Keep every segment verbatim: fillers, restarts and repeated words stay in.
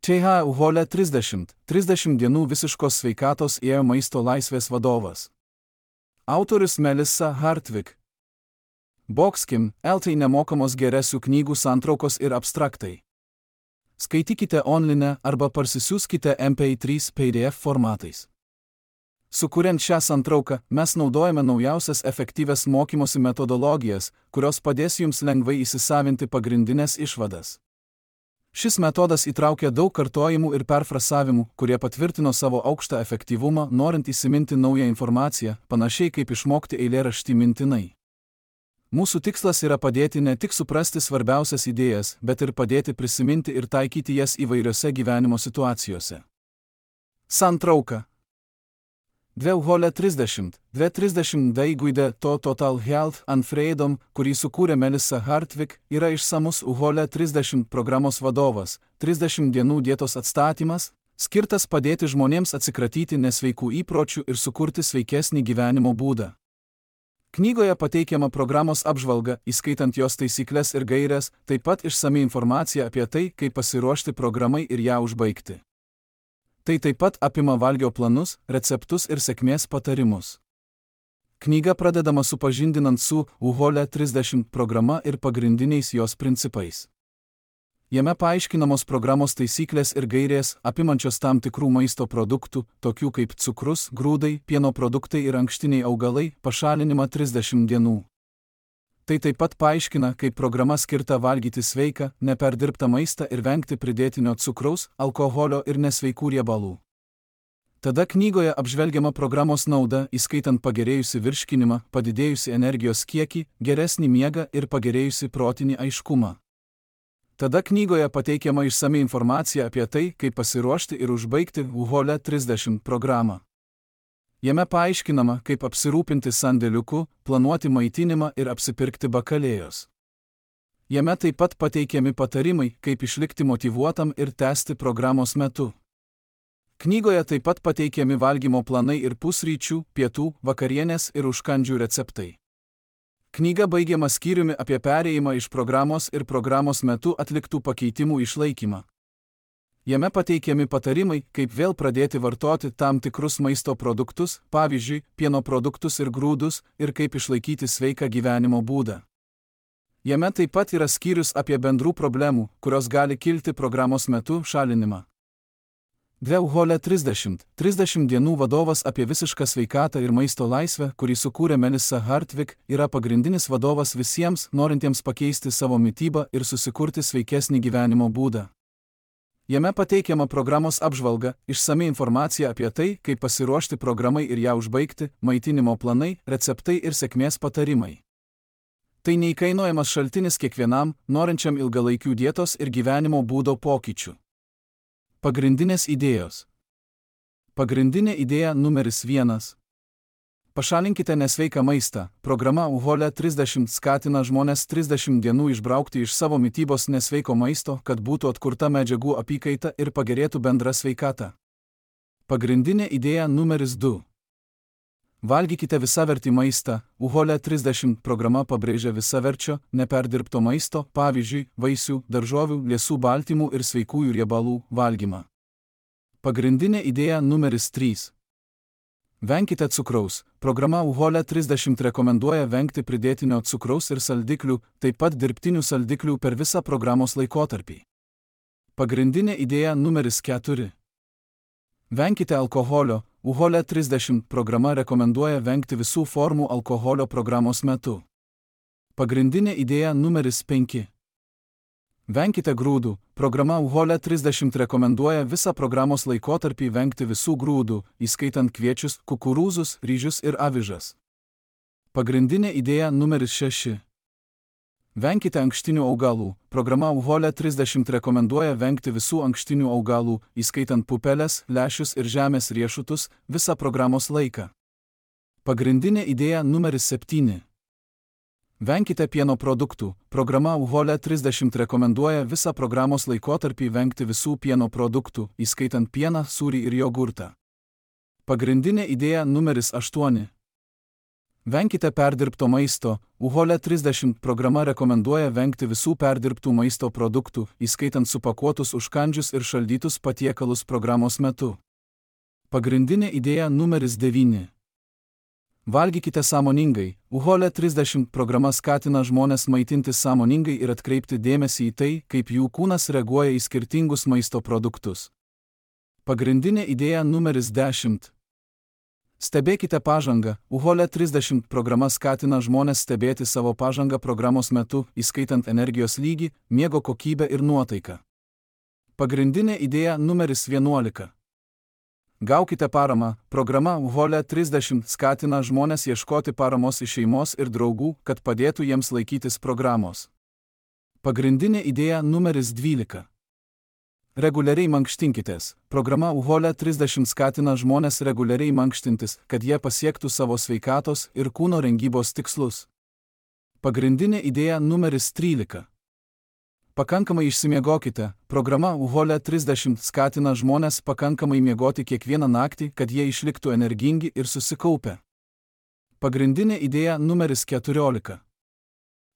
T H Uhole trisdešimt. trisdešimt dienų visiškos sveikatos ėjo maisto laisvės vadovas. Autorius Melissa Hartwig. Boxkim, L T nemokamos geresių knygų santraukos ir abstraktai. Skaitykite online arba parsisiųskite M P trys P D F formatais. Sukuriant šią santrauką, mes naudojame naujausias efektyvias mokymosi metodologijas, kurios padės jums lengvai įsisavinti pagrindinės išvadas. Šis metodas įtraukia daug kartojimų ir perfrasavimų, kurie patvirtino savo aukštą efektyvumą, norint įsiminti naują informaciją, panašiai kaip išmokti eilėraštį mintinai. Mūsų tikslas yra padėti ne tik suprasti svarbiausias idėjas, bet ir padėti prisiminti ir taikyti jas įvairiose gyvenimo situacijose. Santrauka. Dve Uhole trisdešimt. Dve trisdešimt daiguide to Total Health and Freedom, kurį sukūrė Melissa Hartwig, yra išsamus Uhole trisdešimt programos vadovas, trisdešimt dienų dietos atstatymas, skirtas padėti žmonėms atsikratyti nesveikų įpročių ir sukurti sveikesnį gyvenimo būdą. Knygoje pateikiama programos apžvalga, įskaitant jos taisyklės ir gaires, taip pat išsami informacija apie tai, kaip pasiruošti programai ir ją užbaigti. Tai taip pat apima valgio planus, receptus ir sėkmės patarimus. Knyga pradedama supažindinant su Uhole trisdešimt programa ir pagrindiniais jos principais. Jame paaiškinamos programos taisyklės ir gairės, apimančios tam tikrų maisto produktų, tokių kaip cukrus, grūdai, pieno produktai ir ankštiniai augalai, pašalinimą trisdešimt dienų. Tai taip pat paaiškina, kaip programa skirta valgyti sveiką, neperdirbtą maistą ir vengti pridėtinio cukraus, alkoholio ir nesveikų riebalų. Tada knygoje apžvelgiama programos nauda, įskaitant pagerėjusi virškinimą, padidėjusi energijos kiekį, geresnį miegą ir pagerėjusi protinį aiškumą. Tada knygoje pateikiama išsami informacija apie tai, kaip pasiruošti ir užbaigti Uhole trisdešimt programą. Jame paaiškinama, kaip apsirūpinti sandėliuku, planuoti maitinimą ir apsipirkti bakalėjos. Jame taip pat pateikiami patarimai, kaip išlikti motyvuotam ir tęsti programos metu. Knygoje taip pat pateikiami valgymo planai ir pusryčių, pietų, vakarienės ir užkandžių receptai. Knyga baigiama skyriumi apie perėjimą iš programos ir programos metu atliktų pakeitimų išlaikymą. Jame pateikiami patarimai, kaip vėl pradėti vartoti tam tikrus maisto produktus, pavyzdžiui, pieno produktus ir grūdus, ir kaip išlaikyti sveiką gyvenimo būdą. Jame taip pat yra skyrius apie bendrų problemų, kurios gali kilti programos metu, šalinimą. Dve Uhole trisdešimt. trisdešimt dienų vadovas apie visišką sveikatą ir maisto laisvę, kurį sukūrė Melissa Hartwig, yra pagrindinis vadovas visiems, norintiems pakeisti savo mitybą ir susikurti sveikesnį gyvenimo būdą. Jame pateikiama programos apžvalga, išsami informacija apie tai, kaip pasiruošti programai ir ją užbaigti, maitinimo planai, receptai ir sėkmės patarimai. Tai neįkainojamas šaltinis kiekvienam, norinčiam ilgalaikių dietos ir gyvenimo būdo pokyčių. Pagrindinės idėjos. Pagrindinė idėja numeris vienas. Pašalinkite nesveiką maistą. Programa Uhole trisdešimt skatina žmones trisdešimt dienų išbraukti iš savo mitybos nesveiko maisto, kad būtų atkurta medžiagų apykaita ir pagerėtų bendra sveikata. Pagrindinė idėja numeris du. Valgykite visavertį maistą. Uhole trisdešimt programa pabrėžia visaverčio, neperdirbto maisto, pavyzdžiui, vaisių, daržovių, liesų baltymų ir sveikųjų riebalų valgymą. Pagrindinė idėja numeris trys. Venkite cukraus. Programa Uhole trisdešimt rekomenduoja vengti pridėtinio cukraus ir saldiklių, taip pat dirbtinių saldiklių per visą programos laikotarpį. Pagrindinė idėja numeris keturi. Venkite alkoholio. Uhole trisdešimt programa rekomenduoja vengti visų formų alkoholio programos metu. Pagrindinė idėja numeris penki. Venkite grūdų. Programa Uhole trisdešimt rekomenduoja visą programos laikotarpį vengti visų grūdų, įskaitant kviečius, kukurūzus, ryžius ir avižas. Pagrindinė idėja numeris šeši. Venkite ankštinių augalų. Programa Uhole trisdešimt rekomenduoja vengti visų ankštinių augalų, įskaitant pupeles, lęšius ir žemės riešutus, visą programos laiką. Pagrindinė idėja numeris septyni. Venkite pieno produktų. Programa Uhole trisdešimt rekomenduoja visą programos laikotarpį vengti visų pieno produktų, įskaitant pieną, sūrį ir jogurtą. Pagrindinė idėja numeris aštuoni. Venkite perdirbto maisto. U H O L E trisdešimt programa rekomenduoja vengti visų perdirbtų maisto produktų, įskaitant supakuotus užkandžius ir šaldytus patiekalus programos metu. Pagrindinė idėja numeris devyni. Valgykite sąmoningai. U H O L E trisdešimt programa skatina žmones maitintis sąmoningai ir atkreipti dėmesį į tai, kaip jų kūnas reaguoja į skirtingus maisto produktus. Pagrindinė idėja numeris dešimt. Stebėkite pažangą. U H O L E trisdešimt programa skatina žmones stebėti savo pažangą programos metu, įskaitant energijos lygį, miego kokybę ir nuotaiką. Pagrindinė idėja numeris vienuolika. Gaukite paramą. Programa U H O L E trisdešimt skatina žmones ieškoti paramos iš šeimos ir draugų, kad padėtų jiems laikytis programos. Pagrindinė idėja numeris dvylika. Reguliariai mankštinkitės. Programa U H O L E trisdešimt skatina žmones reguliariai mankštintis, kad jie pasiektų savo sveikatos ir kūno rengybos tikslus. Pagrindinė idėja numeris trylika. Pakankamai išsimiegokite. Programa U H O L E trisdešimt skatina žmones pakankamai miegoti kiekvieną naktį, kad jie išliktų energingi ir susikaupę. Pagrindinė idėja numeris keturiolika.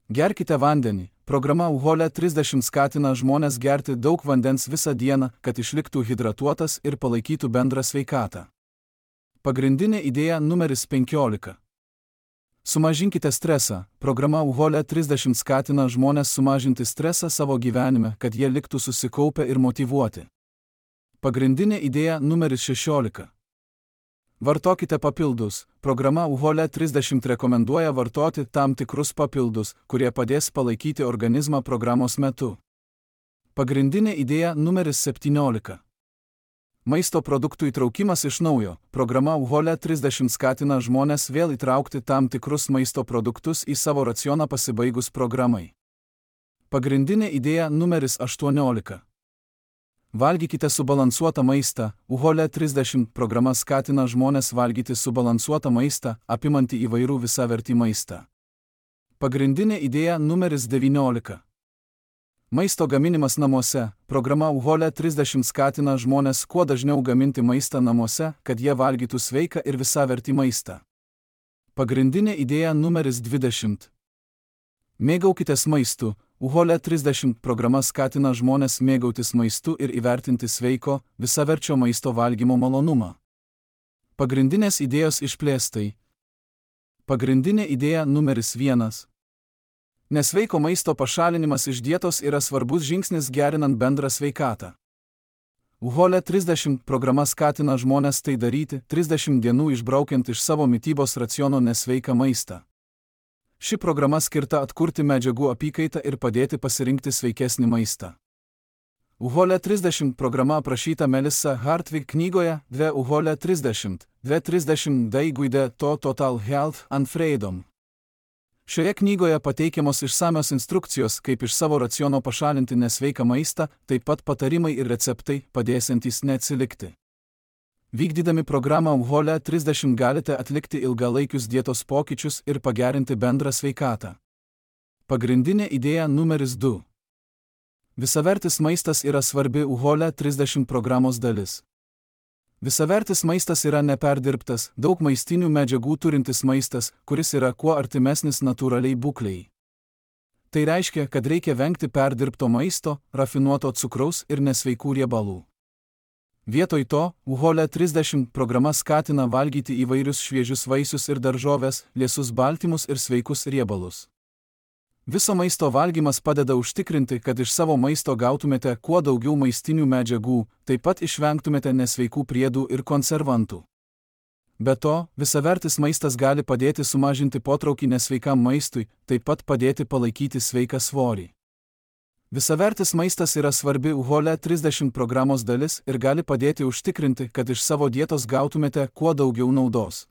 Gerkite vandenį. Programa U H O L E trisdešimt skatina žmones gerti daug vandens visą dieną, kad išliktų hidratuotas ir palaikytų bendrą sveikatą. Pagrindinė idėja numeris penkiolika. Sumažinkite stresą. Programa U H O L E trisdešimt skatina žmones sumažinti stresą savo gyvenime, kad jie liktų susikaupę ir motyvuoti. Pagrindinė idėja numeris šešiolika. Vartokite papildus. Programa U H O L E trisdešimt rekomenduoja vartoti tam tikrus papildus, kurie padės palaikyti organizmą programos metu. Pagrindinė idėja numeris septyniolika. Maisto produktų įtraukimas iš naujo. Programa U H O L E trisdešimt skatina žmones vėl įtraukti tam tikrus maisto produktus į savo racioną pasibaigus programai. Pagrindinė idėja numeris aštuoniolika. Valgykite subalansuotą maistą. U H O L E trisdešimt programa skatina žmones valgyti subalansuotą maistą, apimantį įvairų visavertį maistą. Pagrindinė idėja numeris devyniolika. Maisto gaminimas namuose. Programa U H O L E trisdešimt skatina žmones kuo dažniau gaminti maistą namuose, kad jie valgytų sveiką ir visavertį maistą. Pagrindinė idėja numeris dvidešimt. Mėgaukitės maistu. U H O L E trisdešimt programa skatina žmones mėgautis maistu ir įvertinti sveiko, visaverčio maisto valgymo malonumą. Pagrindinės idėjos išplėstai. Pagrindinė idėja numeris vienas. Nesveiko maisto pašalinimas iš dietos yra svarbus žingsnis gerinant bendrą sveikatą. U H O L E trisdešimt programa skatina žmones tai daryti, trisdešimt dienų išbraukiant iš savo mitybos raciono nesveiką maistą. Ši programa skirta atkurti medžiagų apykaitą ir padėti pasirinkti sveikesnį maistą. U H O L E trisdešimt programa aprašyta Melissa Hartwig knygoje Dve U H O L E trisdešimt, Dve trisdešimt D guide to Total Health and Freedom. Šioje knygoje pateikiamos išsamios instrukcijos, kaip iš savo raciono pašalinti nesveiką maistą, taip pat patarimai ir receptai, padėsiantys neatsilikti. Vykdydami programą U H O L E trisdešimt galite atlikti ilgalaikius dietos pokyčius ir pagerinti bendrą sveikatą. Pagrindinė idėja numeris du. Visavertis maistas yra svarbi U H O L E trisdešimt programos dalis. Visavertis maistas yra neperdirbtas, daug maistinių medžiagų turintis maistas, kuris yra kuo artimesnis natūraliai būklei. Tai reiškia, kad reikia vengti perdirbto maisto, rafinuoto cukraus ir nesveikų riebalų. Vietoj to, U H O L E trisdešimt programa skatina valgyti įvairius šviežius vaisius ir daržoves, liesus baltymus ir sveikus riebalus. Viso maisto valgymas padeda užtikrinti, kad iš savo maisto gautumėte kuo daugiau maistinių medžiagų, taip pat išvengtumėte nesveikų priedų ir konservantų. Be to, visavertis maistas gali padėti sumažinti potraukį nesveikam maistui, taip pat padėti palaikyti sveiką svorį. Visavertis maistas yra svarbi U H O L E trisdešimt programos dalis ir gali padėti užtikrinti, kad iš savo dietos gautumėte kuo daugiau naudos.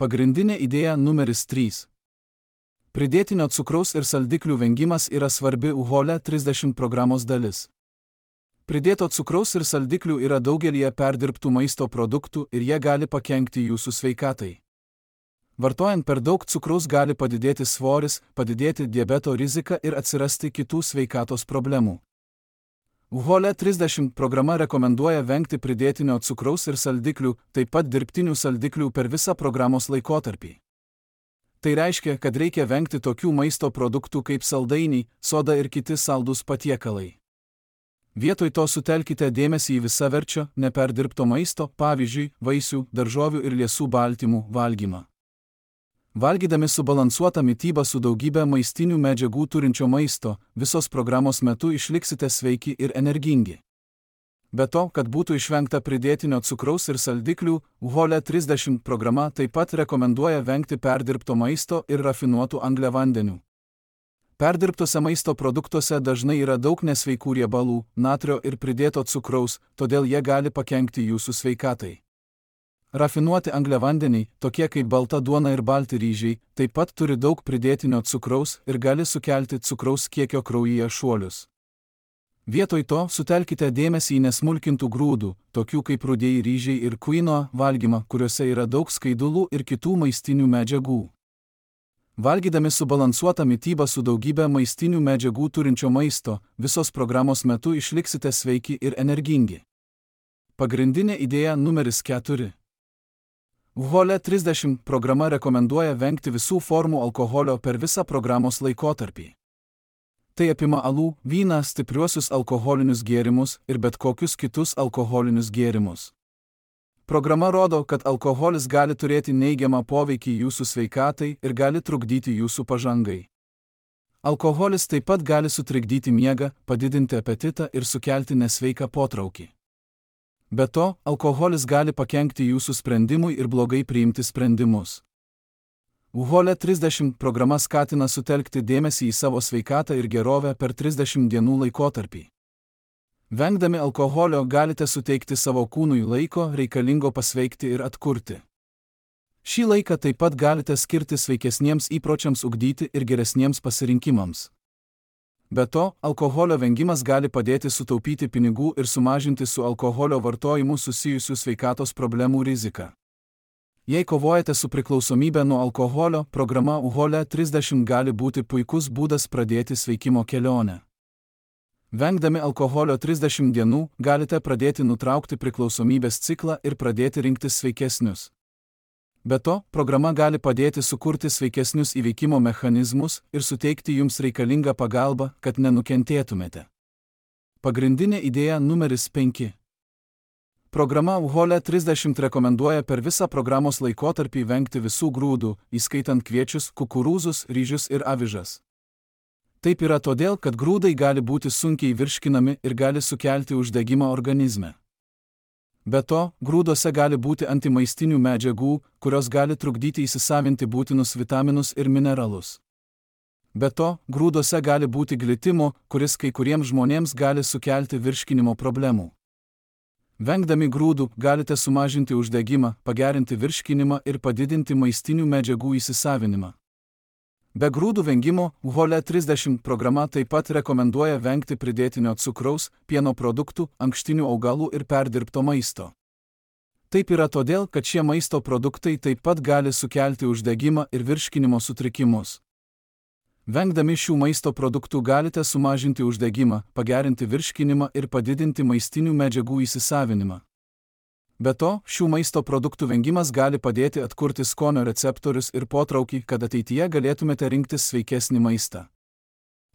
Pagrindinė idėja numeris trys. Pridėtinio cukraus ir saldiklių vengimas yra svarbi U H O L E trisdešimt programos dalis. Pridėto cukraus ir saldiklių yra daugelyje perdirbtų maisto produktų ir jie gali pakenkti jūsų sveikatai. Vartojant per daug cukraus gali padidėti svoris, padidėti diabeto rizika ir atsirasti kitų sveikatos problemų. U H O L E trisdešimt programa rekomenduoja vengti pridėtinio cukraus ir saldiklių, taip pat dirbtinių saldiklių per visą programos laikotarpį. Tai reiškia, kad reikia vengti tokių maisto produktų kaip saldainiai, soda ir kiti saldūs patiekalai. Vietoj to sutelkite dėmesį į visaverčio, neperdirbto maisto, pavyzdžiui, vaisių, daržovių ir liesų baltymų valgymą. Valgydami subalansuotą mitybą su daugybė maistinių medžiagų turinčio maisto, visos programos metu išliksite sveiki ir energingi. Be to, kad būtų išvengta pridėtinio cukraus ir saldiklių, U H O L E trisdešimt programa taip pat rekomenduoja vengti perdirbto maisto ir rafinuotų angliavandenių. Perdirbtose maisto produktuose dažnai yra daug nesveikų riebalų, natrio ir pridėto cukraus, todėl jie gali pakenkti jūsų sveikatai. Rafinuoti angliavandeniai, tokie kaip balta duona ir balti ryžiai, taip pat turi daug pridėtinio cukraus ir gali sukelti cukraus kiekio kraujyje šuolius. Vietoj to sutelkite dėmesį į nesmulkintų grūdų, tokių kaip rudieji ryžiai ir kvinoa, valgymą, kuriuose yra daug skaidulų ir kitų maistinių medžiagų. Valgydami subalansuotą mitybą su daugybė maistinių medžiagų turinčio maisto, visos programos metu išliksite sveiki ir energingi. Pagrindinė idėja numeris keturi. U H O L E trisdešimt programa rekomenduoja vengti visų formų alkoholio per visą programos laikotarpį. Tai apima alų, vyną, stipriuosius alkoholinius gėrimus ir bet kokius kitus alkoholinius gėrimus. Programa rodo, kad alkoholis gali turėti neigiamą poveikį jūsų sveikatai ir gali trukdyti jūsų pažangai. Alkoholis taip pat gali sutrikdyti miegą, padidinti apetitą ir sukelti nesveiką potraukį. Be to, alkoholis gali pakenkti jūsų sprendimui ir blogai priimti sprendimus. U H O L E trisdešimt programa skatina sutelkti dėmesį į savo sveikatą ir gerovę per trisdešimt dienų laikotarpį. Vengdami alkoholio galite suteikti savo kūnui laiko reikalingo pasveikti ir atkurti. Šį laiką taip pat galite skirti sveikesniems įpročiams ugdyti ir geresniems pasirinkimams. Be to, alkoholio vengimas gali padėti sutaupyti pinigų ir sumažinti su alkoholio vartojimu susijusių sveikatos problemų riziką. Jei kovojate su priklausomybė nuo alkoholio, programa U H O L E trisdešimt gali būti puikus būdas pradėti sveikimo kelionę. Vengdami alkoholio trisdešimt dienų, galite pradėti nutraukti priklausomybės ciklą ir pradėti rinktis sveikesnius. Be to, programa gali padėti sukurti sveikesnius įveikimo mechanizmus ir suteikti jums reikalingą pagalbą, kad nenukentėtumėte. Pagrindinė idėja numeris penki. Programa U H O L E trisdešimt rekomenduoja per visą programos laikotarpį vengti visų grūdų, įskaitant kviečius, kukurūzus, ryžius ir avižas. Taip yra todėl, kad grūdai gali būti sunkiai virškinami ir gali sukelti uždegimą organizme. Be to, grūduose gali būti antimaistinių medžiagų, kurios gali trukdyti įsisavinti būtinus vitaminus ir mineralus. Be to, grūduose gali būti glitimo, kuris kai kuriems žmonėms gali sukelti virškinimo problemų. Vengdami grūdų galite sumažinti uždegimą, pagerinti virškinimą ir padidinti maistinių medžiagų įsisavinimą. Be grūdų vengimo, U H O L E trisdešimt programa taip pat rekomenduoja vengti pridėtinio cukraus, pieno produktų, ankštinių augalų ir perdirbto maisto. Taip yra todėl, kad šie maisto produktai taip pat gali sukelti uždegimą ir virškinimo sutrikimus. Vengdami šių maisto produktų galite sumažinti uždegimą, pagerinti virškinimą ir padidinti maistinių medžiagų įsisavinimą. Be to, šių maisto produktų vengimas gali padėti atkurti skonio receptorius ir potraukį, kad ateityje galėtumėte rinktis sveikesnį maistą.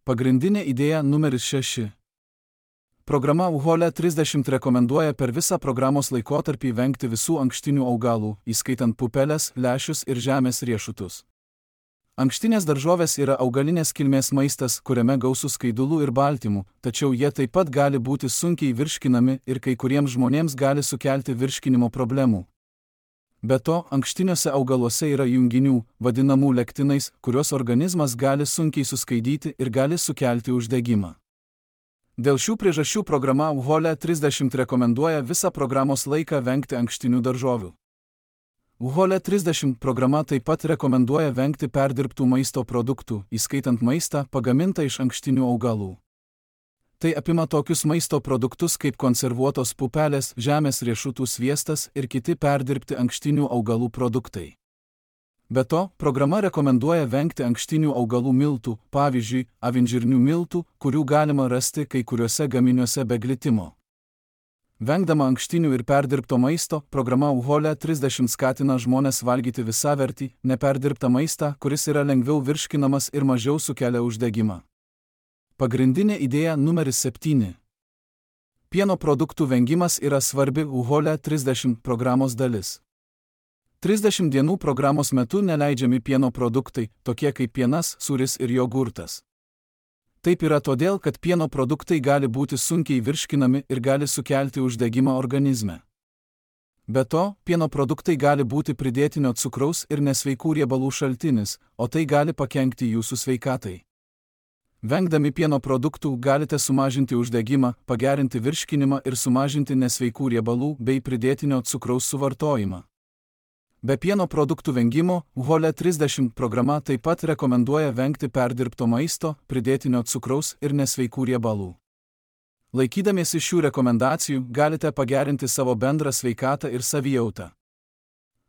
Pagrindinė idėja numeris šeši. Programa U H O L E trisdešimt rekomenduoja per visą programos laikotarpį vengti visų ankštinių augalų, įskaitant pupeles, lęšius ir žemės riešutus. Ankštinės daržovės yra augalinės kilmės maistas, kuriame gausu skaidulų ir baltymų, tačiau jie taip pat gali būti sunkiai virškinami ir kai kuriems žmonėms gali sukelti virškinimo problemų. Be to, ankštiniuose augaluose yra junginių, vadinamų lektinais, kuriuos organizmas gali sunkiai suskaidyti ir gali sukelti uždegimą. Dėl šių priežasčių programa U H O L E trisdešimt rekomenduoja visą programos laiką vengti ankštinių daržovių. U H O L E trisdešimt programa taip pat rekomenduoja vengti perdirbtų maisto produktų, įskaitant maistą pagamintą iš ankštinių augalų. Tai apima tokius maisto produktus kaip konservuotos pupelės, žemės riešutų sviestas ir kiti perdirbti ankštinių augalų produktai. Be to, programa rekomenduoja vengti ankštinių augalų miltų, pavyzdžiui, avinžirnių miltų, kurių galima rasti kai kuriuose gaminiuose be glitimo. Vengdama ankštinių ir perdirbto maisto, programa U H O L E trisdešimt skatina žmones valgyti visavertį, neperdirbtą maistą, kuris yra lengviau virškinamas ir mažiau sukelia uždegimą. Pagrindinė idėja numeris septyni. Pieno produktų vengimas yra svarbi U H O L E trisdešimt programos dalis. trisdešimt dienų programos metu neleidžiami pieno produktai, tokie kaip pienas, sūris ir jogurtas. Taip yra todėl, kad pieno produktai gali būti sunkiai virškinami ir gali sukelti uždegimą organizme. Be to, pieno produktai gali būti pridėtinio cukraus ir nesveikų riebalų šaltinis, o tai gali pakenkti jūsų sveikatai. Vengdami pieno produktų galite sumažinti uždegimą, pagerinti virškinimą ir sumažinti nesveikų riebalų bei pridėtinio cukraus suvartojimą. Be pieno produktų vengimo, U H O L E trisdešimt programa taip pat rekomenduoja vengti perdirbto maisto, pridėtinio cukraus ir nesveikų riebalų. Laikydamiesi šių rekomendacijų, galite pagerinti savo bendrą sveikatą ir savijautą.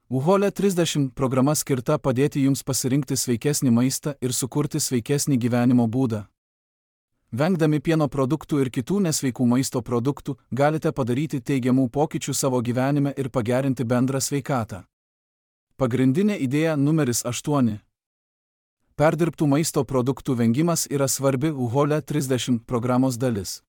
U H O L E trisdešimt programa skirta padėti jums pasirinkti sveikesnį maistą ir sukurti sveikesnį gyvenimo būdą. Vengdami pieno produktų ir kitų nesveikų maisto produktų, galite padaryti teigiamų pokyčių savo gyvenime ir pagerinti bendrą sveikatą. Pagrindinė idėja numeris aštuoni. Perdirbtų maisto produktų vengimas yra svarbi U H O L E trisdešimt programos dalis.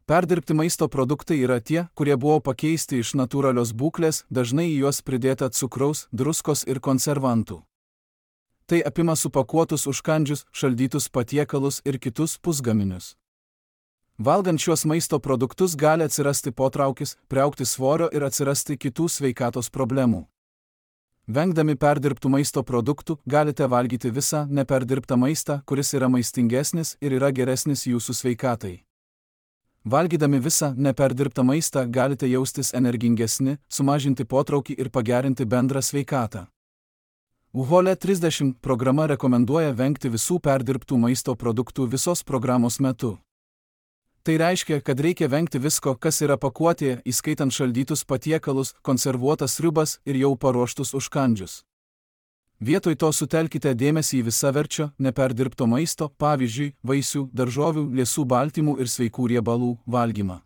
Perdirbti maisto produktai yra tie, kurie buvo pakeisti iš natūralios būklės, dažnai į juos pridėta cukraus, druskos ir konservantų. Tai apima supakuotus užkandžius, šaldytus patiekalus ir kitus pusgaminius. Valgant šiuos maisto produktus gali atsirasti potraukis, priaugti svorio ir atsirasti kitų sveikatos problemų. Vengdami perdirbtų maisto produktų, galite valgyti visą neperdirbtą maistą, kuris yra maistingesnis ir yra geresnis jūsų sveikatai. Valgydami visą neperdirbtą maistą galite jaustis energingesni, sumažinti potraukį ir pagerinti bendrą sveikatą. U H O L E trisdešimt programa rekomenduoja vengti visų perdirbtų maisto produktų visos programos metu. Tai reiškia, kad reikia vengti visko, kas yra pakuotėje, įskaitant šaldytus patiekalus, konservuotas sriubas ir jau paruoštus užkandžius. Vietoj to sutelkite dėmesį į visaverčio, neperdirbto maisto, pavyzdžiui, vaisių, daržovių, liesų baltymų ir sveikų riebalų valgymą.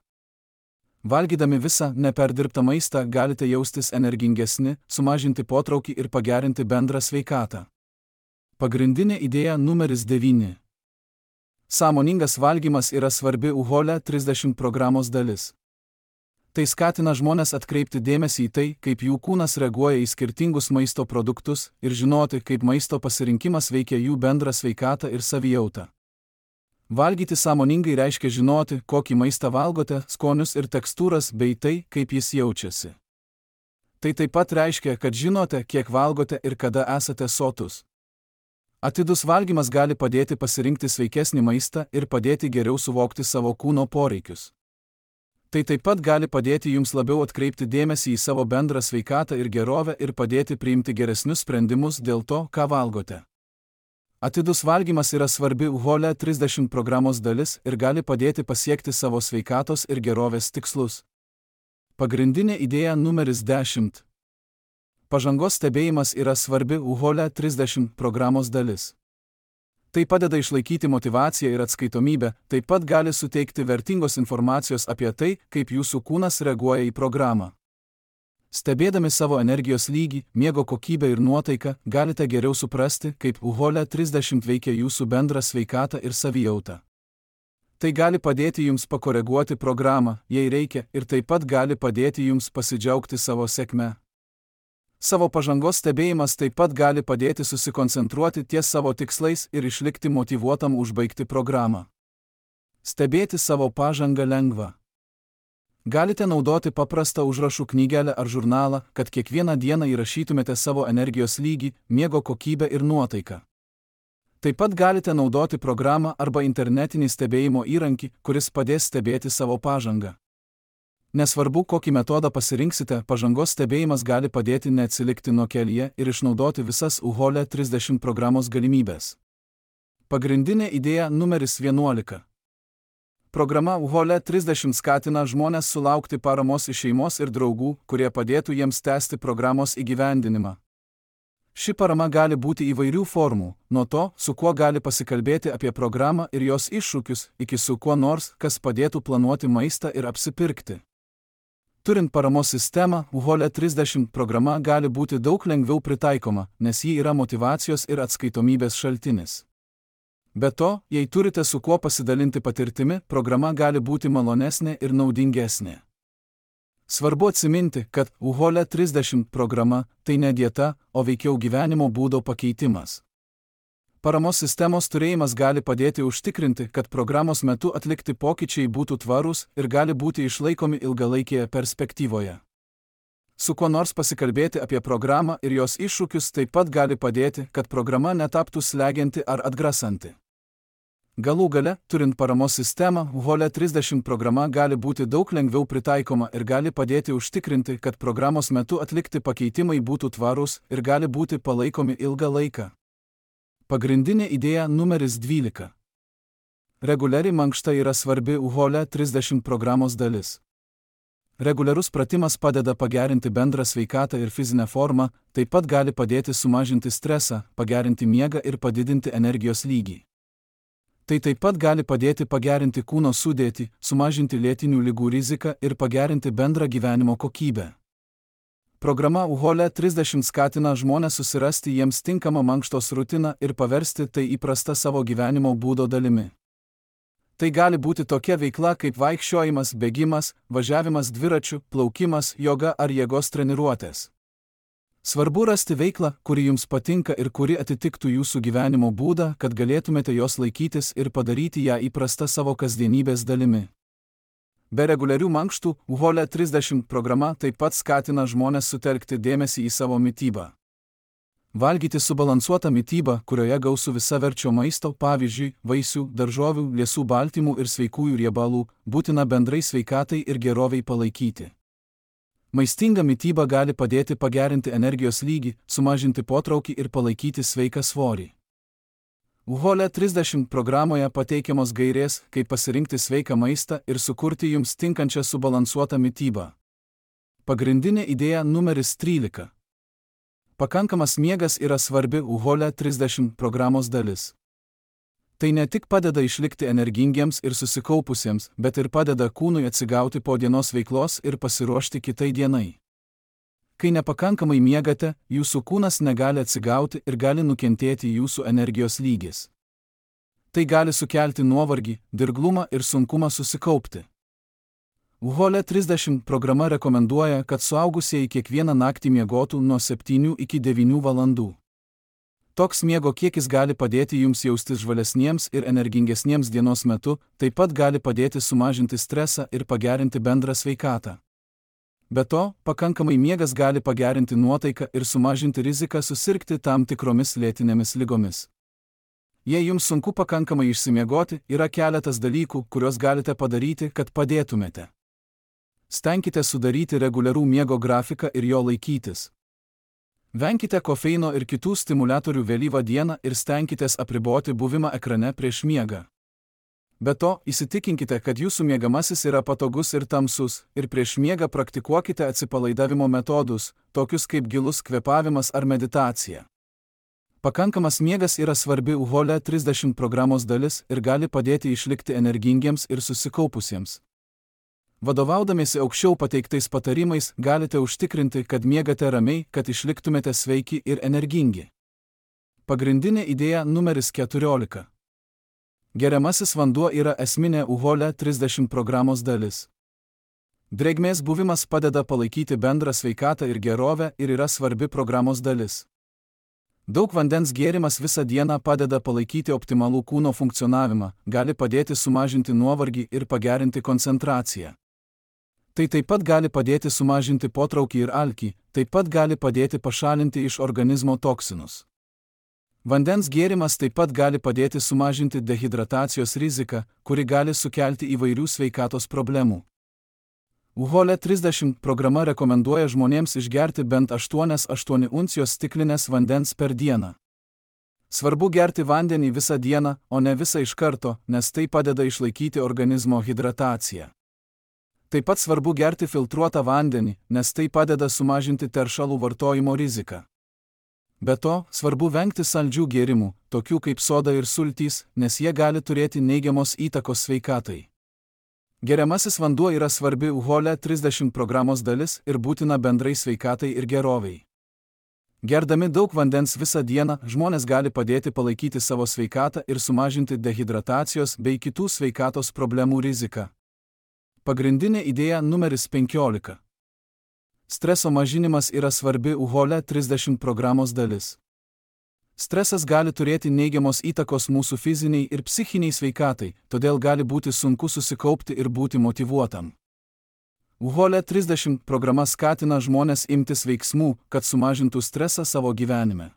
Valgydami visą neperdirbtą maistą galite jaustis energingesni, sumažinti potraukį ir pagerinti bendrą sveikatą. Pagrindinė idėja numeris devyni. Sąmoningas valgymas yra svarbi U H O L E trisdešimt programos dalis. Tai skatina žmones atkreipti dėmesį į tai, kaip jų kūnas reaguoja į skirtingus maisto produktus ir žinoti, kaip maisto pasirinkimas veikia jų bendrą sveikatą ir savijautą. Valgyti sąmoningai reiškia žinoti, kokį maistą valgote, skonius ir tekstūras bei tai, kaip jis jaučiasi. Tai taip pat reiškia, kad žinote, kiek valgote ir kada esate sotus. Atidus valgymas gali padėti pasirinkti sveikesnį maistą ir padėti geriau suvokti savo kūno poreikius. Tai taip pat gali padėti jums labiau atkreipti dėmesį į savo bendrą sveikatą ir gerovę ir padėti priimti geresnius sprendimus dėl to, ką valgote. Atidus valgymas yra svarbi U H O L E trisdešimt programos dalis ir gali padėti pasiekti savo sveikatos ir gerovės tikslus. Pagrindinė idėja numeris dešimt. Pažangos stebėjimas yra svarbi U H O L E trisdešimt programos dalis. Tai padeda išlaikyti motyvaciją ir atskaitomybę, taip pat gali suteikti vertingos informacijos apie tai, kaip jūsų kūnas reaguoja į programą. Stebėdami savo energijos lygį, miego kokybę ir nuotaiką, galite geriau suprasti, kaip U H O L E trisdešimt veikia jūsų bendrą sveikatą ir savijautą. Tai gali padėti jums pakoreguoti programą, jei reikia, ir taip pat gali padėti jums pasidžiaugti savo sėkme. Savo pažangos stebėjimas taip pat gali padėti susikoncentruoti ties savo tikslais ir išlikti motyvuotam užbaigti programą. Stebėti savo pažangą lengva. Galite naudoti paprastą užrašų knygelę ar žurnalą, kad kiekvieną dieną įrašytumėte savo energijos lygį, miego kokybę ir nuotaiką. Taip pat galite naudoti programą arba internetinį stebėjimo įrankį, kuris padės stebėti savo pažangą. Nesvarbu, kokį metodą pasirinksite, pažangos stebėjimas gali padėti neatsilikti nuo kelyje ir išnaudoti visas U H O L E trisdešimt programos galimybės. Pagrindinė idėja numeris vienuolika. Programa U H O L E trisdešimt skatina žmones sulaukti paramos iš šeimos ir draugų, kurie padėtų jiems tęsti programos įgyvendinimą. Ši parama gali būti įvairių formų, nuo to, su kuo gali pasikalbėti apie programą ir jos iššūkius, iki su kuo nors, kas padėtų planuoti maistą ir apsipirkti. Turint paramos sistemą, U H O L E trisdešimt programa gali būti daug lengviau pritaikoma, nes ji yra motyvacijos ir atskaitomybės šaltinis. Be to, jei turite su kuo pasidalinti patirtimi, programa gali būti malonesnė ir naudingesnė. Svarbu atsiminti, kad U H O L E trisdešimt programa tai ne dieta, o veikiau gyvenimo būdo pakeitimas. Paramos sistemos turėjimas gali padėti užtikrinti, kad programos metu atlikti pokyčiai būtų tvarūs ir gali būti išlaikomi ilgalaikėje perspektyvoje. Su kuo nors pasikalbėti apie programą ir jos iššūkius taip pat gali padėti, kad programa netaptų slegianti ar atgrasanti. Galų gale, turint paramos sistemą, U H O L E trisdešimt programa gali būti daug lengviau pritaikoma ir gali padėti užtikrinti, kad programos metu atlikti pakeitimai būtų tvarūs ir gali būti palaikomi ilgą laiką. Pagrindinė idėja numeris dvylika. Reguliari mankšta yra svarbi U H O L E trisdešimt programos dalis. Reguliarus pratimas padeda pagerinti bendrą sveikatą ir fizinę formą, taip pat gali padėti sumažinti stresą, pagerinti miegą ir padidinti energijos lygį. Tai taip pat gali padėti pagerinti kūno sudėtį, sumažinti lėtinių ligų riziką ir pagerinti bendrą gyvenimo kokybę. Programa U H O L E trisdešimt skatina žmones susirasti jiems tinkamą mankštos rutiną ir paversti tai įprasta savo gyvenimo būdo dalimi. Tai gali būti tokia veikla kaip vaikščiojimas, bėgimas, važiavimas dviračiu, plaukimas, joga ar jėgos treniruotės. Svarbu rasti veiklą, kuri jums patinka ir kuri atitiktų jūsų gyvenimo būdą, kad galėtumėte jos laikytis ir padaryti ją įprasta savo kasdienybės dalimi. Be reguliarių mankštų, U H O L E trisdešimt programa taip pat skatina žmones sutelkti dėmesį į savo mitybą. Valgyti subalansuotą mitybą, kurioje gausu visaverčio maisto, pavyzdžiui, vaisių, daržovių, liesų baltymų ir sveikųjų riebalų, būtina bendrai sveikatai ir geroviai palaikyti. Maistinga mityba gali padėti pagerinti energijos lygį, sumažinti potraukį ir palaikyti sveiką svorį. U H O L E trisdešimt programoje pateikiamos gairės, kaip pasirinkti sveiką maistą ir sukurti jums tinkančią subalansuotą mitybą. Pagrindinė idėja numeris trylika. Pakankamas miegas yra svarbi U H O L E trisdešimt programos dalis. Tai ne tik padeda išlikti energingiems ir susikaupusiems, bet ir padeda kūnui atsigauti po dienos veiklos ir pasiruošti kitai dienai. Kai nepakankamai miegate, jūsų kūnas negali atsigauti ir gali nukentėti jūsų energijos lygis. Tai gali sukelti nuovargį, dirglumą ir sunkumą susikaupti. U H O L E trisdešimt programa rekomenduoja, kad suaugusieji kiekvieną naktį miegotų nuo septynių iki devynių valandų. Toks miego kiekis gali padėti jums jaustis žvalesniems ir energingesniems dienos metu, taip pat gali padėti sumažinti stresą ir pagerinti bendrą sveikatą. Be to, pakankamai miegas gali pagerinti nuotaiką ir sumažinti riziką susirgti tam tikromis lėtinėmis ligomis. Jei jums sunku pakankamai išsimiegoti, yra keletas dalykų, kuriuos galite padaryti, kad padėtumėte. Stenkite sudaryti reguliarų miego grafiką ir jo laikytis. Venkite kofeino ir kitų stimuliatorių vėlyvą dieną ir stenkitės apriboti buvimą ekrane prieš miegą. Be to, įsitikinkite, kad jūsų miegamasis yra patogus ir tamsus, ir prieš miegą praktikuokite atsipalaidavimo metodus, tokius kaip gilus kvėpavimas ar meditacija. Pakankamas miegas yra svarbi U H O L E trisdešimt programos dalis ir gali padėti išlikti energingiems ir susikaupusiems. Vadovaudamiesi aukščiau pateiktais patarimais, galite užtikrinti, kad miegate ramiai, kad išliktumėte sveiki ir energingi. Pagrindinė idėja numeris keturiolika. Geriamasis vanduo yra esminė U H O L E trisdešimt programos dalis. Drėgmės buvimas padeda palaikyti bendrą sveikatą ir gerovę ir yra svarbi programos dalis. Daug vandens gėrimas visą dieną padeda palaikyti optimalų kūno funkcionavimą, gali padėti sumažinti nuovargį ir pagerinti koncentraciją. Tai taip pat gali padėti sumažinti potraukį ir alkį, taip pat gali padėti pašalinti iš organizmo toksinus. Vandens gėrimas taip pat gali padėti sumažinti dehidratacijos riziką, kuri gali sukelti įvairių sveikatos problemų. U H O L E trisdešimt programa rekomenduoja žmonėms išgerti bent aštuonias aštuonias uncijos stiklinės vandens per dieną. Svarbu gerti vandenį visą dieną, o ne visą iš karto, nes tai padeda išlaikyti organizmo hidrataciją. Taip pat svarbu gerti filtruotą vandenį, nes tai padeda sumažinti teršalų vartojimo riziką. Be to, svarbu vengti saldžių gėrimų, tokių kaip soda ir sultys, nes jie gali turėti neigiamos įtakos sveikatai. Geriamasis vanduo yra svarbi U H O L E trisdešimt programos dalis ir būtina bendrai sveikatai ir gerovei. Gerdami daug vandens visą dieną, žmonės gali padėti palaikyti savo sveikatą ir sumažinti dehidratacijos bei kitų sveikatos problemų riziką. Pagrindinė idėja numeris penkiolika. Streso mažinimas yra svarbi U H O L E trisdešimt programos dalis. Stresas gali turėti neigiamos įtakos mūsų fiziniai ir psichiniai sveikatai, todėl gali būti sunku susikaupti ir būti motyvuotam. U H O L E trisdešimt programa skatina žmones imtis veiksmų, kad sumažintų stresą savo gyvenime.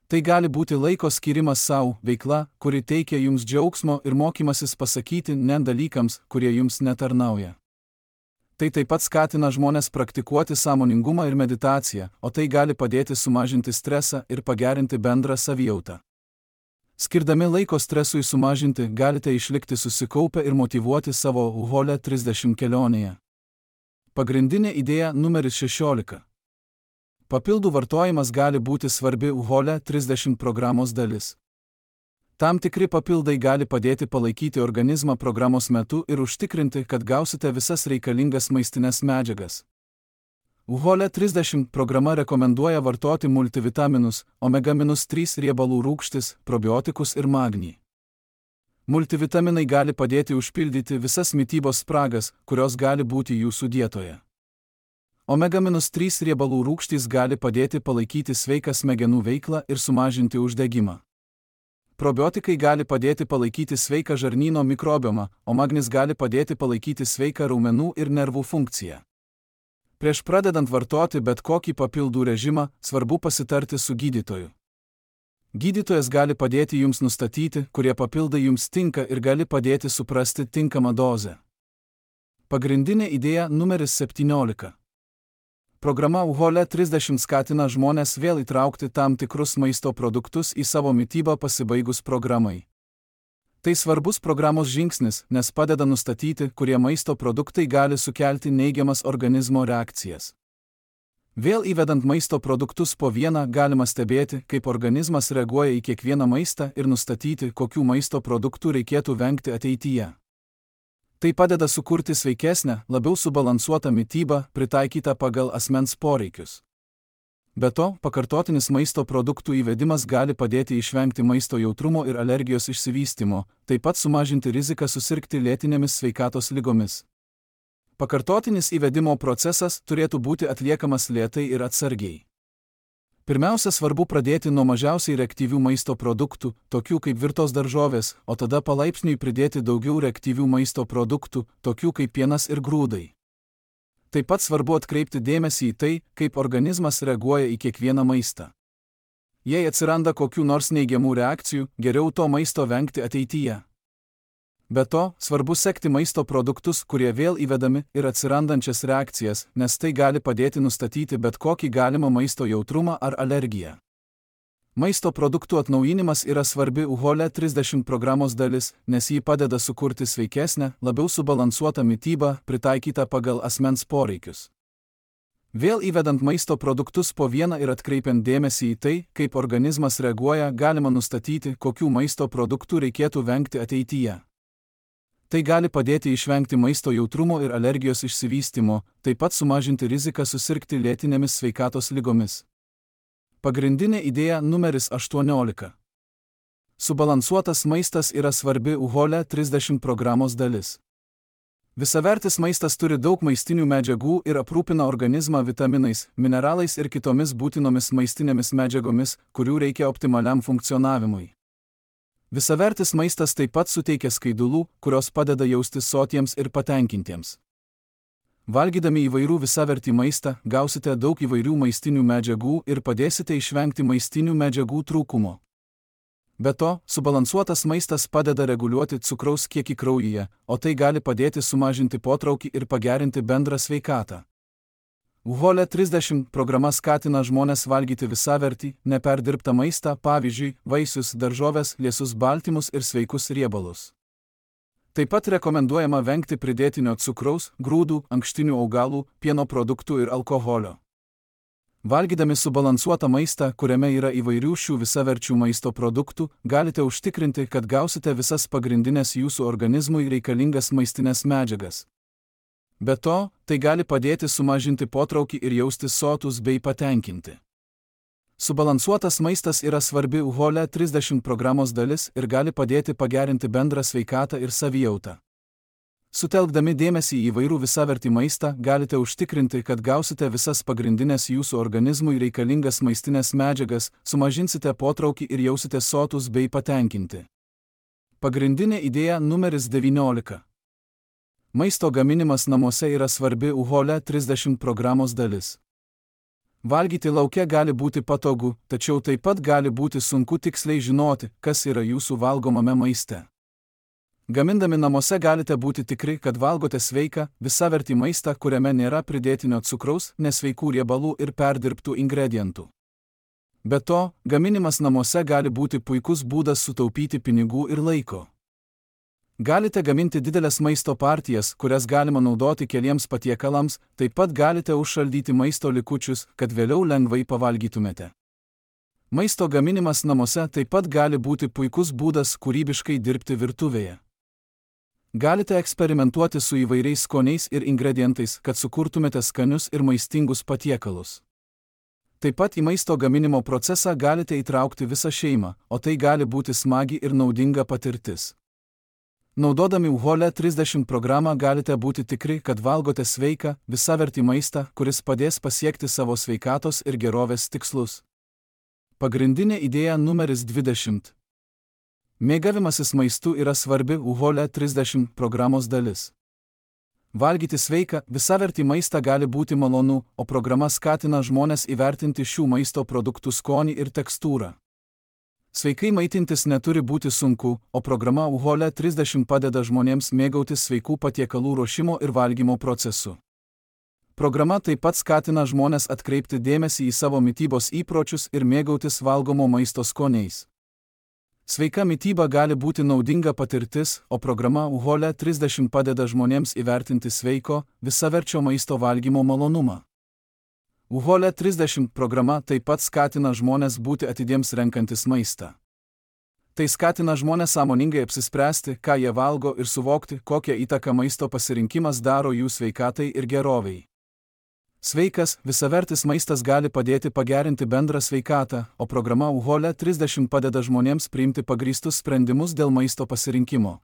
Tai gali būti laiko skirimas savo, veikla, kuri teikia jums džiaugsmo ir mokymasis pasakyti ne dalykams, kurie jums netarnauja. Tai taip pat skatina žmonės praktikuoti sąmoningumą ir meditaciją, o tai gali padėti sumažinti stresą ir pagerinti bendrą savijautą. Skirdami laiko stresui sumažinti, galite išlikti susikaupę ir motyvuoti savo U H O L E trisdešimt kelionėje. Pagrindinė idėja numeris šešiolika. Papildų vartojimas gali būti svarbi U H O L E trisdešimt programos dalis. Tam tikri papildai gali padėti palaikyti organizmą programos metu ir užtikrinti, kad gausite visas reikalingas maistinės medžiagas. U H O L E trisdešimt programa rekomenduoja vartoti multivitaminus, omega trys riebalų rūgštis, probiotikus ir magnį. Multivitaminai gali padėti užpildyti visas mitybos spragas, kurios gali būti jūsų dietoje. omega trys riebalų rūgštys gali padėti palaikyti sveiką smegenų veiklą ir sumažinti uždegimą. Probiotikai gali padėti palaikyti sveiką žarnyno mikrobiomą, o magnis gali padėti palaikyti sveiką raumenų ir nervų funkciją. Prieš pradedant vartoti bet kokį papildų režimą, svarbu pasitarti su gydytoju. Gydytojas gali padėti jums nustatyti, kurie papildai jums tinka ir gali padėti suprasti tinkamą dozę. Pagrindinė idėja numeris septyniolika. Programa U H O L E trisdešimt skatina žmonės vėl įtraukti tam tikrus maisto produktus į savo mitybą pasibaigus programai. Tai svarbus programos žingsnis, nes padeda nustatyti, kurie maisto produktai gali sukelti neigiamas organizmo reakcijas. Vėl įvedant maisto produktus po vieną galima stebėti, kaip organizmas reaguoja į kiekvieną maistą ir nustatyti, kokių maisto produktų reikėtų vengti ateityje. Tai padeda sukurti sveikesnę, labiau subalansuotą mitybą, pritaikytą pagal asmens poreikius. Be to, pakartotinis maisto produktų įvedimas gali padėti išvengti maisto jautrumo ir alergijos išsivystymo, taip pat sumažinti riziką susirgti lėtinėmis sveikatos ligomis. Pakartotinis įvedimo procesas turėtų būti atliekamas lėtai ir atsargiai. Pirmiausia, svarbu pradėti nuo mažiausiai reaktyvių maisto produktų, tokių kaip virtos daržovės, o tada palaipsniui pridėti daugiau reaktyvių maisto produktų, tokių kaip pienas ir grūdai. Taip pat svarbu atkreipti dėmesį į tai, kaip organizmas reaguoja į kiekvieną maistą. Jei atsiranda kokių nors neigiamų reakcijų, geriau to maisto vengti ateityje. Be to, svarbu sekti maisto produktus, kurie vėl įvedami, ir atsirandančias reakcijas, nes tai gali padėti nustatyti bet kokį galimą maisto jautrumą ar alergiją. Maisto produktų atnaujinimas yra svarbi U H O L E trisdešimt programos dalis, nes jį padeda sukurti sveikesnę, labiau subalansuotą mitybą, pritaikytą pagal asmens poreikius. Vėl įvedant maisto produktus po vieną ir atkreipiant dėmesį į tai, kaip organizmas reaguoja, galima nustatyti, kokių maisto produktų reikėtų vengti ateityje. Tai gali padėti išvengti maisto jautrumo ir alergijos išsivystymo, taip pat sumažinti riziką susirgti lėtinėmis sveikatos ligomis. Pagrindinė idėja numeris aštuoniolika. Subalansuotas maistas yra svarbi U H O L E trisdešimt programos dalis. Visavertis maistas turi daug maistinių medžiagų ir aprūpina organizmą vitaminais, mineralais ir kitomis būtinomis maistinėmis medžiagomis, kurių reikia optimaliam funkcionavimui. Visavertis maistas taip pat suteikia skaidulų, kurios padeda jaustis sotiems ir patenkintiems. Valgydami įvairių visavertį maistą, gausite daug įvairių maistinių medžiagų ir padėsite išvengti maistinių medžiagų trūkumo. Be to, subalansuotas maistas padeda reguliuoti cukraus kiekį kraujyje, o tai gali padėti sumažinti potraukį ir pagerinti bendrą sveikatą. U H O L E trisdešimt programa skatina žmones valgyti visavertį, neperdirbtą maistą, pavyzdžiui, vaisius, daržoves, liesus baltymus ir sveikus riebalus. Taip pat rekomenduojama vengti pridėtinio cukraus, grūdų, ankštinių augalų, pieno produktų ir alkoholio. Valgydami subalansuotą maistą, kuriame yra įvairių šių visaverčių maisto produktų, galite užtikrinti, kad gausite visas pagrindinės jūsų organizmui reikalingas maistinės medžiagas. Be to, tai gali padėti sumažinti potraukį ir jaustis sotus bei patenkinti. Subalansuotas maistas yra svarbi U H O L E trisdešimt programos dalis ir gali padėti pagerinti bendrą sveikatą ir savijautą. Sutelkdami dėmesį į įvairų visavertį maistą, galite užtikrinti, kad gausite visas pagrindinės jūsų organizmui reikalingas maistinės medžiagas, sumažinsite potraukį ir jausite sotus bei patenkinti. Pagrindinė idėja numeris devyniolika. Maisto gaminimas namuose yra svarbi U H O L E trisdešimt programos dalis. Valgyti lauke gali būti patogu, tačiau taip pat gali būti sunku tiksliai žinoti, kas yra jūsų valgomame maiste. Gamindami namuose galite būti tikri, kad valgote sveiką, visavertį maistą, kuriame nėra pridėtinio cukraus, nesveikų riebalų ir perdirbtų ingredientų. Be to, gaminimas namuose gali būti puikus būdas sutaupyti pinigų ir laiko. Galite gaminti didelės maisto partijas, kurias galima naudoti keliems patiekalams, taip pat galite užšaldyti maisto likučius, kad vėliau lengvai pavalgytumėte. Maisto gaminimas namuose taip pat gali būti puikus būdas kūrybiškai dirbti virtuvėje. Galite eksperimentuoti su įvairiais skoniais ir ingredientais, kad sukurtumėte skanius ir maistingus patiekalus. Taip pat į maisto gaminimo procesą galite įtraukti visą šeimą, o tai gali būti smagi ir naudinga patirtis. Naudodami U H O L E trisdešimt programą galite būti tikri, kad valgote sveiką, visavertį maistą, kuris padės pasiekti savo sveikatos ir gerovės tikslus. Pagrindinė idėja numeris dvidešimt. Mėgavimasis maistu yra svarbi U H O L E trisdešimt programos dalis. Valgyti sveiką, visavertį maistą gali būti malonu, o programa skatina žmones įvertinti šių maisto produktų skonį ir tekstūrą. Sveikai maitintis neturi būti sunku, o programa U H O L E trisdešimt padeda žmonėms mėgautis sveikų patiekalų ruošimo ir valgymo procesu. Programa taip pat skatina žmones atkreipti dėmesį į savo mitybos įpročius ir mėgautis valgomo maisto skoniais. Sveika mityba gali būti naudinga patirtis, o programa U H O L E trisdešimt padeda žmonėms įvertinti sveiko, visaverčio maisto valgymo malonumą. U H O L E trisdešimt programa taip pat skatina žmones būti atidiems renkantis maistą. Tai skatina žmones sąmoningai apsispręsti, ką jie valgo ir suvokti, kokią įtaką maisto pasirinkimas daro jų sveikatai ir gerovei. Sveikas, visavertis maistas gali padėti pagerinti bendrą sveikatą, o programa U H O L E trisdešimt padeda žmonėms priimti pagrįstus sprendimus dėl maisto pasirinkimo.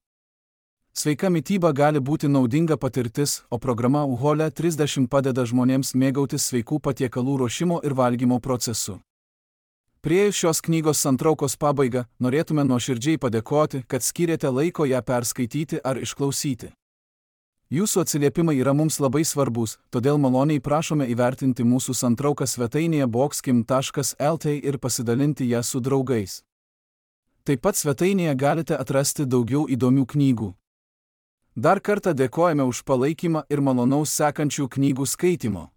Sveika mityba gali būti naudinga patirtis, o programa U H O L E trisdešimt padeda žmonėms mėgautis sveikų patiekalų ruošimo ir valgymo procesu. Priėjus šios knygos santraukos pabaigą, norėtume nuoširdžiai padėkoti, kad skyrėte laiko ją perskaityti ar išklausyti. Jūsų atsiliepimai yra mums labai svarbus, todėl maloniai prašome įvertinti mūsų santrauką svetainėje boxkim taškas L T ir pasidalinti ją su draugais. Taip pat svetainėje galite atrasti daugiau įdomių knygų. Dar kartą dėkojame už palaikymą ir malonaus sekančių knygų skaitimo.